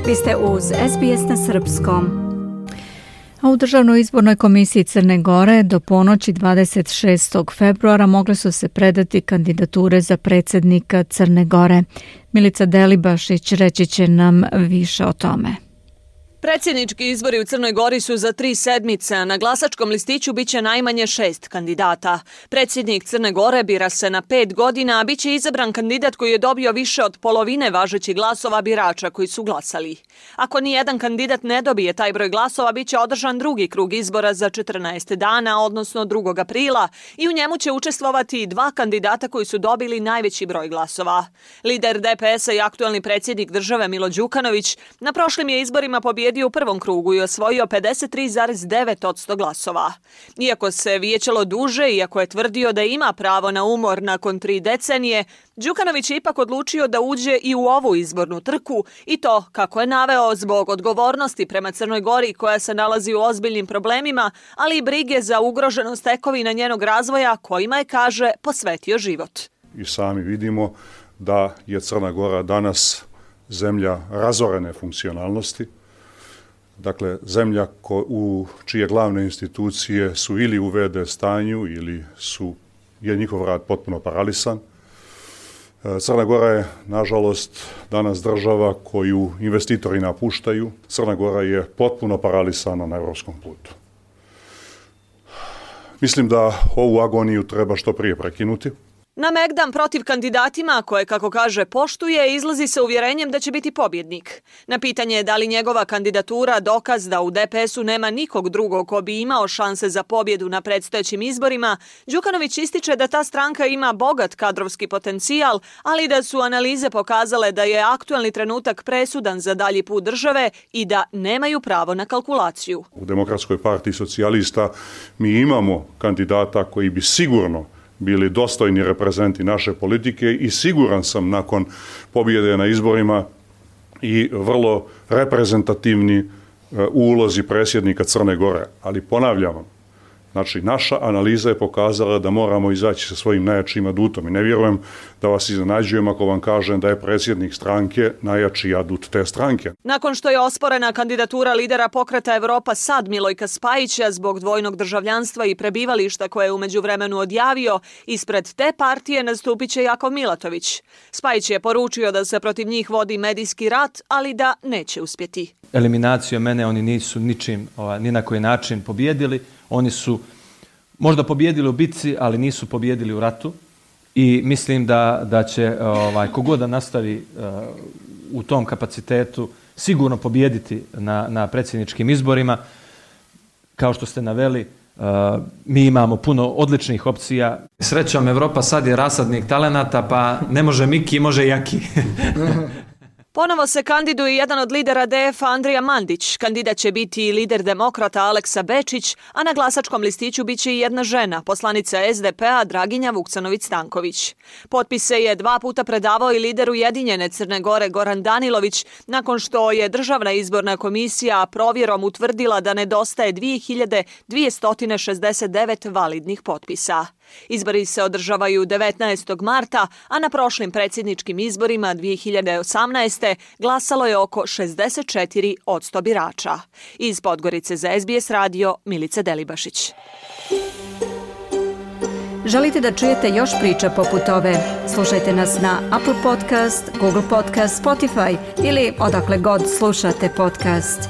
Vi ste uz SBS na srpskom. A u Državnoj izbornoj komisiji Crne Gore do ponoći 26. februara mogle su se predati kandidature za predsjednika Crne Gore. Milica Delibašić reći će nam više o tome. Predsjednički izbori u Crnoj Gori su za 3 sedmice, a na glasačkom listiću biće najmanje 6 kandidata. Predsjednik Crne Gore bira se na 5 godina, a biće izabran kandidat koji je dobio više od polovine važećih glasova birača koji su glasali. Ako nijedan kandidat ne dobije taj broj glasova, biće održan drugi krug izbora za 14 dana, odnosno 2. aprila, i u njemu će učestvovati 2 kandidata koji su dobili najveći broj glasova. Lider DPS-a i aktuelni predsjednik države Milo Đukanović na prošlim je izborima pobjedio u prvom krugu i osvojio 53,9% glasova. Iako se vijećalo duže, iako je tvrdio da ima pravo na umor nakon 3 decenije, Đukanović je ipak odlučio da uđe i u ovu izbornu trku, i to, kako je naveo, zbog odgovornosti prema Crnoj Gori koja se nalazi u ozbiljnim problemima, ali i brige za ugroženost tekovina njenog razvoja kojima je, kaže, posvetio život. I sami vidimo da je Crna Gora danas zemlja razorene funkcionalnosti. Dakle, zemlja u čije glavne institucije su ili u VD stanju ili je njihov rad potpuno paralisan. Crna Gora je, nažalost, danas država koju investitori napuštaju. Crna Gora je potpuno paralisana na evropskom putu. Mislim da ovu agoniju treba što prije prekinuti. Na Megdan protiv kandidatima, koje, kako kaže, poštuje, izlazi sa uvjerenjem da će biti pobjednik. Na pitanje da li njegova kandidatura dokaz da u DPS-u nema nikog drugog ko bi imao šanse za pobjedu na predstojećim izborima, Đukanović ističe da ta stranka ima bogat kadrovski potencijal, ali da su analize pokazale da je aktuelni trenutak presudan za dalji put države i da nemaju pravo na kalkulaciju. U Demokratskoj partiji socijalista mi imamo kandidata koji bi sigurno bili dostojni reprezenti naše politike i siguran sam nakon pobjede na izborima i vrlo reprezentativni ulozi predsjednika Crne Gore. Ali ponavljam vam, znači naša analiza je pokazala da moramo izaći sa svojim najjačim adutom i ne vjerujem da vas iznenađujem ako vam kažem da je predsjednik stranke najjači adut te stranke. Nakon što je osporena kandidatura lidera pokreta Evropa SAD Milojka Spajića zbog dvojnog državljanstva i prebivališta koje je u međuvremenu odjavio, ispred te partije nastupit će Jakov Milatović. Spajić je poručio da se protiv njih vodi medijski rat, ali da neće uspjeti. Eliminacijom mene oni nisu ničim, ni na koji način pobjedili. Oni su možda pobjedili u bitci, ali nisu pobjedili u ratu i mislim da će kogod da nastavi u tom kapacitetu sigurno pobjediti na predsjedničkim izborima. Kao što ste naveli, mi imamo puno odličnih opcija. Srećom, Evropa sad je rasadnik talenata, pa ne može Miki, može Jaki. Ponovo se kandiduje jedan od lidera DF-a Andrija Mandić. Kandidat će biti i lider demokrata Aleksa Bečić, a na glasačkom listiću biće i jedna žena, poslanica SDP-a Draginja Vuksanović-Stanković. Potpise je 2 puta predavao i lider Ujedinjene Crne Gore Goran Danilović, nakon što je Državna izborna komisija provjerom utvrdila da nedostaje 2269 validnih potpisa. Izbori se održavaju 19. marta, a na prošlim predsjedničkim izborima 2018. glasalo je oko 64% birača. Iz Podgorice za SBS radio, Milica Delibašić. Želite da čujete još priča poput ove? Slušajte nas na Apple Podcast, Google Podcast, Spotify ili odakle god slušate podcast.